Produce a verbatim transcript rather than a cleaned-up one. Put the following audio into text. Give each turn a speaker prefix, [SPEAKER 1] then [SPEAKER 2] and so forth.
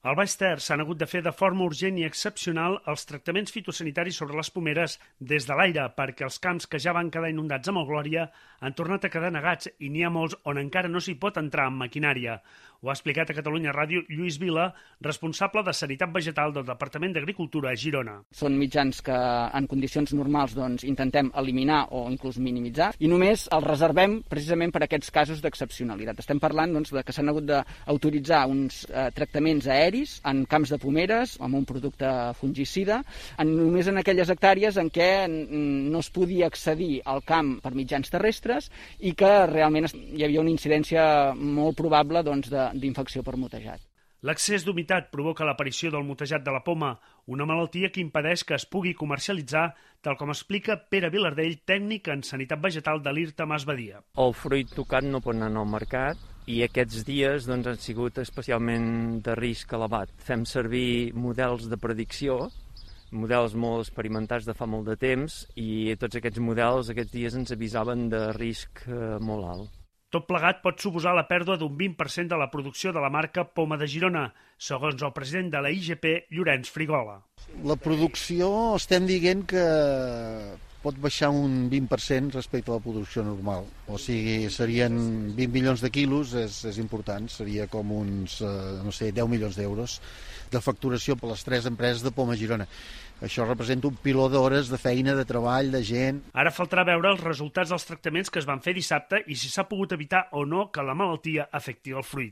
[SPEAKER 1] Al Baix Ter s'han hagut de fer de forma urgent i excepcional els tractaments fitosanitaris sobre les pomeres des de l'aire perquè els camps que ja van quedar inundats amb el Glòria han tornat a quedar negats i n'hi ha molts on encara no s'hi pot entrar amb maquinària. Ho ha explicat a Catalunya Ràdio Lluís Vila, responsable de Sanitat Vegetal del Departament d'Agricultura a Girona.
[SPEAKER 2] Són mitjans que en condicions normals doncs, intentem eliminar o inclús minimitzar i només els reservem precisament per a aquests casos d'excepcionalitat. Estem parlant doncs, de que s'han hagut d'autoritzar uns eh, tractaments aeris en camps de pomeres amb un producte fungicida, en, només en aquelles hectàrees en què no es podia accedir al camp per mitjans terrestres i que realment hi havia una incidència molt probable doncs, de d'infecció per motejat.
[SPEAKER 1] L'excés d'humitat provoca l'aparició del motejat de la poma, una malaltia que impedeix que es pugui comercialitzar, tal com explica Pere Vilardell, tècnic en Sanitat Vegetal de l'I R T A Mas Badia.
[SPEAKER 3] El fruit tocat no pot anar al mercat i aquests dies doncs, han sigut especialment de risc elevat. Fem servir models de predicció, models molt experimentats de fa molt de temps, i tots aquests models aquests dies ens avisaven de risc eh, molt alt.
[SPEAKER 1] Tot plegat pot suposar la pèrdua d'un vint per cent de la producció de la marca Poma de Girona, segons el president de la I G P, Llorenç Frigola.
[SPEAKER 4] La producció estem dient que pot baixar un vint per cent respecte a la producció normal. O sigui, serien vint milions de quilos, és, és important, seria com uns, eh, no sé, deu milions d'euros de facturació per les tres empreses de Poma Girona. Això representa un piló d'hores de feina, de treball, de gent.
[SPEAKER 1] Ara faltarà veure els resultats dels tractaments que es van fer dissabte i si s'ha pogut evitar o no que la malaltia afecti el fruit.